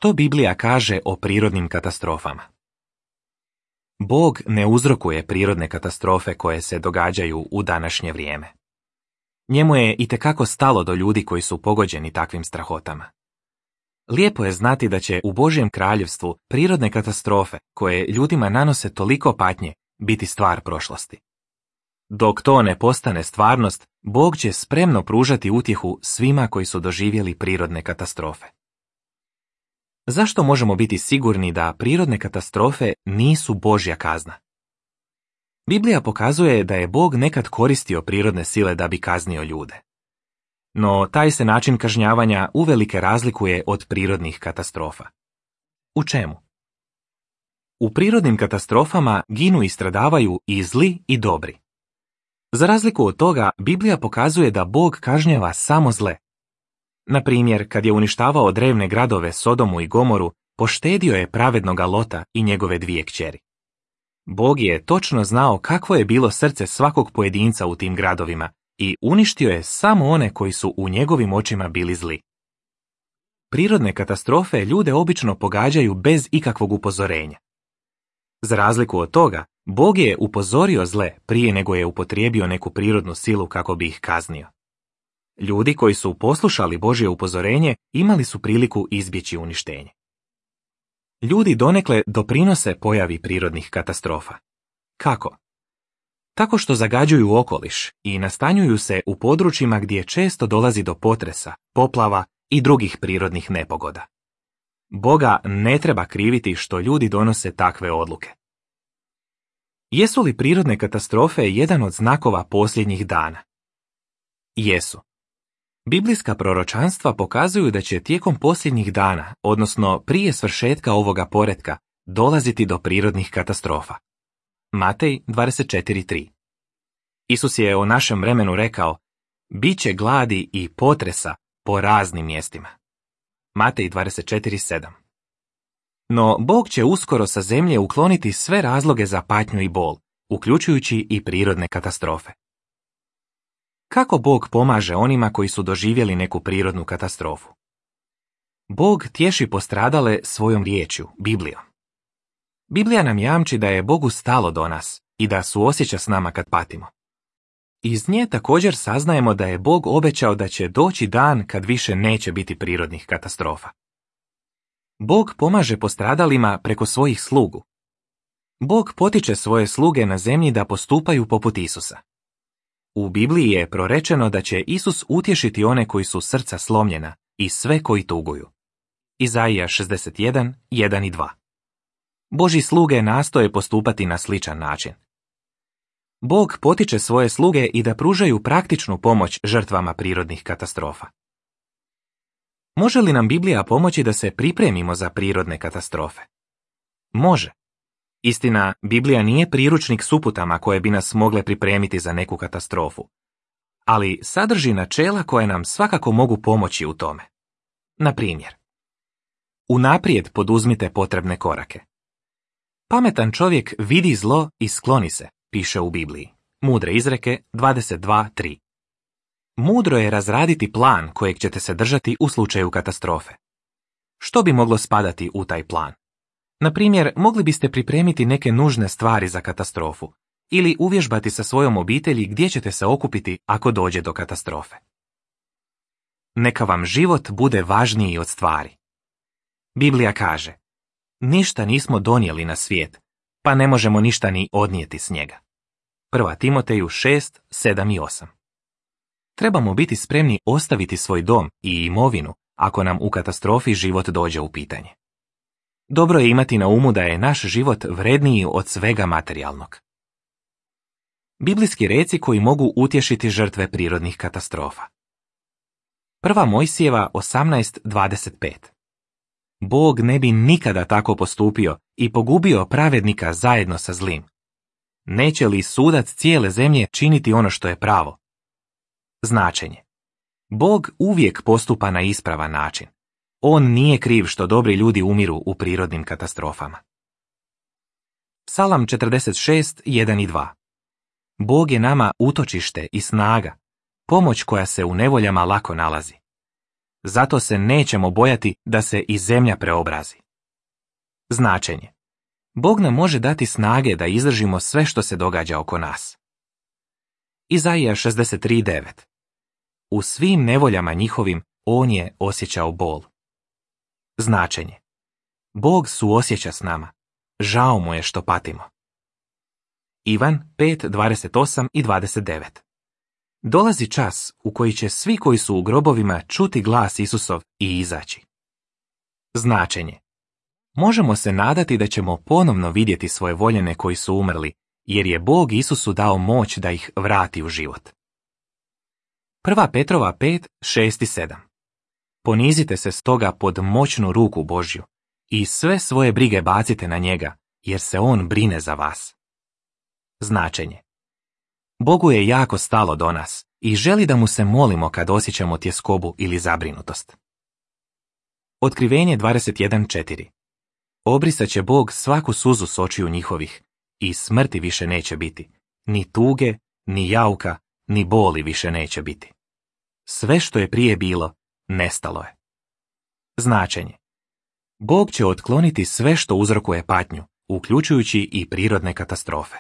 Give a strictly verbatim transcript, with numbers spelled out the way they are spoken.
Što Biblija kaže o prirodnim katastrofama? Bog ne uzrokuje prirodne katastrofe koje se događaju u današnje vrijeme. Njemu je itekako stalo do ljudi koji su pogođeni takvim strahotama. Lijepo je znati da će u Božjem kraljevstvu prirodne katastrofe koje ljudima nanose toliko patnje biti stvar prošlosti. Dok to ne postane stvarnost, Bog će spremno pružati utjehu svima koji su doživjeli prirodne katastrofe. Zašto možemo biti sigurni da prirodne katastrofe nisu Božja kazna? Biblija pokazuje da je Bog nekad koristio prirodne sile da bi kaznio ljude. No taj se način kažnjavanja uvelike razlikuje od prirodnih katastrofa. U čemu? U prirodnim katastrofama ginu i stradavaju i zli i dobri. Za razliku od toga, Biblija pokazuje da Bog kažnjava samo zle. Na primjer, kad je uništavao drevne gradove Sodomu i Gomoru, poštedio je pravednoga Lota i njegove dvije kćeri. Bog je točno znao kakvo je bilo srce svakog pojedinca u tim gradovima i uništio je samo one koji su u njegovim očima bili zli. Prirodne katastrofe ljude obično pogađaju bez ikakvog upozorenja. Za razliku od toga, Bog je upozorio zle prije nego je upotrijebio neku prirodnu silu kako bi ih kaznio. Ljudi koji su poslušali Božje upozorenje imali su priliku izbjeći uništenje. Ljudi donekle doprinose pojavi prirodnih katastrofa. Kako? Tako što zagađuju okoliš i nastanjuju se u područjima gdje često dolazi do potresa, poplava i drugih prirodnih nepogoda. Boga ne treba kriviti što ljudi donose takve odluke. Jesu li prirodne katastrofe jedan od znakova posljednjih dana? Jesu. Biblijska proročanstva pokazuju da će tijekom posljednjih dana, odnosno prije svršetka ovoga poretka, dolaziti do prirodnih katastrofa. Matej dvadeset četiri tri. Isus je o našem vremenu rekao: "Biće gladi i potresa po raznim mjestima." Matej dvadeset četiri sedam. No Bog će uskoro sa zemlje ukloniti sve razloge za patnju i bol, uključujući i prirodne katastrofe. Kako Bog pomaže onima koji su doživjeli neku prirodnu katastrofu? Bog tješi postradale svojom riječju, Biblijom. Biblija nam jamči da je Bogu stalo do nas i da suosjeća s nama kad patimo. Iz nje također saznajemo da je Bog obećao da će doći dan kad više neće biti prirodnih katastrofa. Bog pomaže postradalima preko svojih slugu. Bog potiče svoje sluge na zemlji da postupaju poput Isusa. U Bibliji je prorečeno da će Isus utješiti one koji su srca slomljena i sve koji tuguju. Izaija šezdeset jedan, jedan i dva. Božji sluge nastoje postupati na sličan način. Bog potiče svoje sluge i da pružaju praktičnu pomoć žrtvama prirodnih katastrofa. Može li nam Biblija pomoći da se pripremimo za prirodne katastrofe? Može. Istina, Biblija nije priručnik s uputama koje bi nas mogle pripremiti za neku katastrofu, ali sadrži načela koje nam svakako mogu pomoći u tome. Na primjer, unaprijed poduzmite potrebne korake. Pametan čovjek vidi zlo i skloni se, piše u Bibliji. Mudre izreke dvadeset dva tri. Mudro je razraditi plan kojeg ćete se držati u slučaju katastrofe. Što bi moglo spadati u taj plan? Na primjer, mogli biste pripremiti neke nužne stvari za katastrofu ili uvježbati sa svojom obitelji gdje ćete se okupiti ako dođe do katastrofe. Neka vam život bude važniji od stvari. Biblija kaže: "Ništa nismo donijeli na svijet, pa ne možemo ništa ni odnijeti s njega." Prva Timoteju šest, sedam i osam. Trebamo biti spremni ostaviti svoj dom i imovinu ako nam u katastrofi život dođe u pitanje. Dobro je imati na umu da je naš život vredniji od svega materijalnog. Biblijski reci koji mogu utješiti žrtve prirodnih katastrofa. Prva Mojsijeva osamnaest dvadeset pet. Bog ne bi nikada tako postupio i pogubio pravednika zajedno sa zlim. Neće li sudac cijele zemlje činiti ono što je pravo? Značenje. Bog uvijek postupa na ispravan način. On nije kriv što dobri ljudi umiru u prirodnim katastrofama. Psalam četrdeset šest, jedan i dva. Bog je nama utočište i snaga, pomoć koja se u nevoljama lako nalazi. Zato se nećemo bojati da se i zemlja preobrazi. Značenje. Bog nam može dati snage da izdržimo sve što se događa oko nas. Izaija šezdeset tri devet. U svim nevoljama njihovim on je osjećao bol. Značenje. Bog suosjeća s nama. Žao mu je što patimo. Ivan pet dvadeset osam i dvadeset devet. Dolazi čas u koji će svi koji su u grobovima čuti glas Isusov i izaći. Značenje. Možemo se nadati da ćemo ponovno vidjeti svoje voljene koji su umrli, jer je Bog Isusu dao moć da ih vrati u život. Prva Petrova pet šest i sedam. Ponizite se stoga pod moćnu ruku Božju i sve svoje brige bacite na njega, jer se on brine za vas. Značenje. Bogu je jako stalo do nas i želi da mu se molimo kad osjećamo tjeskobu ili zabrinutost. Otkrivenje dvadeset jedan četiri. Obrisat će Bog svaku suzu s očiju njihovih i smrti više neće biti, ni tuge, ni jauka, ni boli više neće biti. Sve što je prije bilo, nestalo je. Značenje. Bog će otkloniti sve što uzrokuje patnju, uključujući i prirodne katastrofe.